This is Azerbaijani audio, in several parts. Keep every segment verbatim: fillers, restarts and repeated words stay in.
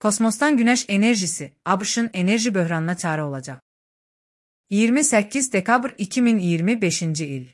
Kosmosdan günəş enerjisi ABŞ-ın enerji böhranına çarə olacaq. iyirmi səkkiz dekabr iki min iyirmi beşinci il.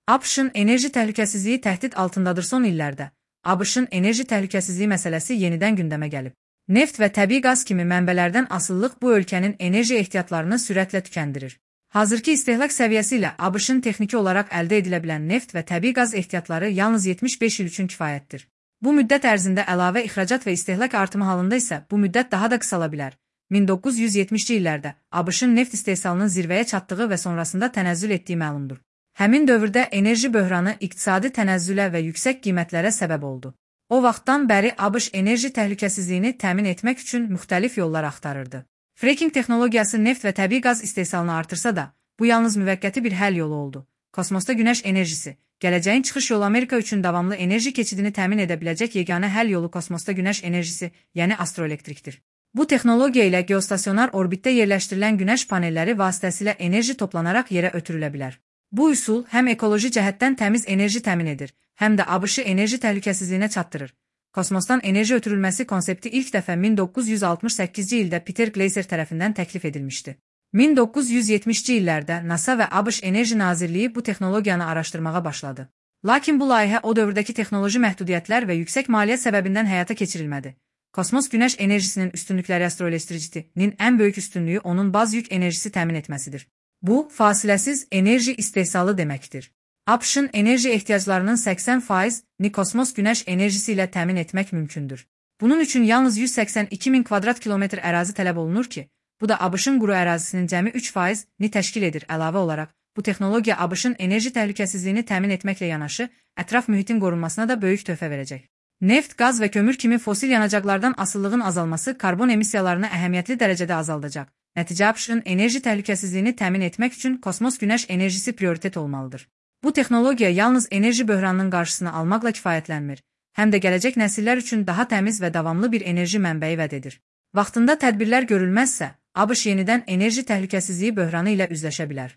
ABŞ-ın enerji təhlükəsizliyi təhdid altındadır. Son illərdə ABŞ-ın enerji təhlükəsizliyi məsələsi yenidən gündəmə gəlib. Neft və təbii qaz kimi mənbələrdən asılılıq bu ölkənin enerji ehtiyatlarını sürətlə tükəndirir. Hazırki istehlak səviyyəsi ilə ABŞ-ın texniki olaraq əldə edilə bilən neft və təbii qaz ehtiyatları yalnız yetmiş beş il üçün kifayətdir. Bu müddət ərzində əlavə ixracat və istehlak artımı halında isə bu müddət daha da qısala bilər. min doqquz yüz yetmişci illərdə ABŞ-ın neft istehsalının zirvəyə çatdığı və sonrasında tənəzzül etdiyi məlumdur. Həmin dövrdə enerji böhranı iqtisadi tənəzzülə və yüksək qiymətlərə səbəb oldu. O vaxtdan bəri ABŞ enerji təhlükəsizliyini təmin etmək üçün müxtəlif yollar axtarırdı. Fracking texnologiyası neft və təbii qaz istehsalını artırsa da, bu yalnız müvəqqəti bir həll yolu oldu. Kosmosda günəş enerjisi, gələcəyin çıxış yolu Amerika üçün davamlı enerji keçidini təmin edə biləcək yeganə həll yolu kosmosda günəş enerjisi, yəni astroelektrikdir. Bu texnologiya ilə geostasionar orbitdə yerləşdirilən günəş panelləri vasitəsilə enerji toplanaraq yerə ötürülə bilər. Bu üsul həm ekoloji cəhətdən təmiz enerji təmin edir, həm də ABŞ-ı enerji təhlükəsizliyinə çatdırır. Kosmosdan enerji ötürülməsi konsepti ilk dəfə min doqquz yüz altmış səkkizci ildə Peter Gleiser tərəfindən təklif edilmişdi. min doqquz yüz yetmişci illərdə NASA və ABŞ Enerji Nazirliyi bu texnologiyanı araşdırmağa başladı. Lakin bu layihə o dövrdəki texnoloji məhdudiyyətlər və yüksək maliyyə səbəbindən həyata keçirilmədi. Kosmos günəş enerjisinin üstünlükləri astroelektrikinin ən böyük üstünlüyü onun baz yük enerjisi təmin etməsidir. Bu, fasiləsiz enerji istehsalı deməkdir. ABŞ-ın enerji ehtiyaclarının səksən faizini kosmos günəş enerjisi ilə təmin etmək mümkündür. Bunun üçün yalnız yüz səksən iki min kvadrat kilometr ərazi tələb olunur ki, bu da ABŞ-ın quru ərazisinin cəmi üç faizini təşkil edir. Əlavə olaraq, bu texnologiya ABŞ-ın enerji təhlükəsizliyini təmin etməklə yanaşı, ətraf mühitin qorunmasına da böyük töhfə verəcək. Neft, qaz və kömür kimi fosil yanacaqlardan asıllığın azalması karbon emissiyalarını əhəmiyyətli dərəcədə azaldacaq. Nəticə ABŞ-ın enerji təhlükəsizliyini təmin etmək üçün kosmos günəş enerjisi prioritet olmalıdır. Bu texnologiya yalnız enerji böhranının qarşısını almaqla kifayətlənmir, həm də gələcək nəsillər üçün daha təmiz və davamlı bir enerji mənbəyi vəd edir. Vaxtında tədbirlər görülməzsə, ABŞ yenidən enerji təhlükəsizliyi böhranı ilə üzləşə bilər.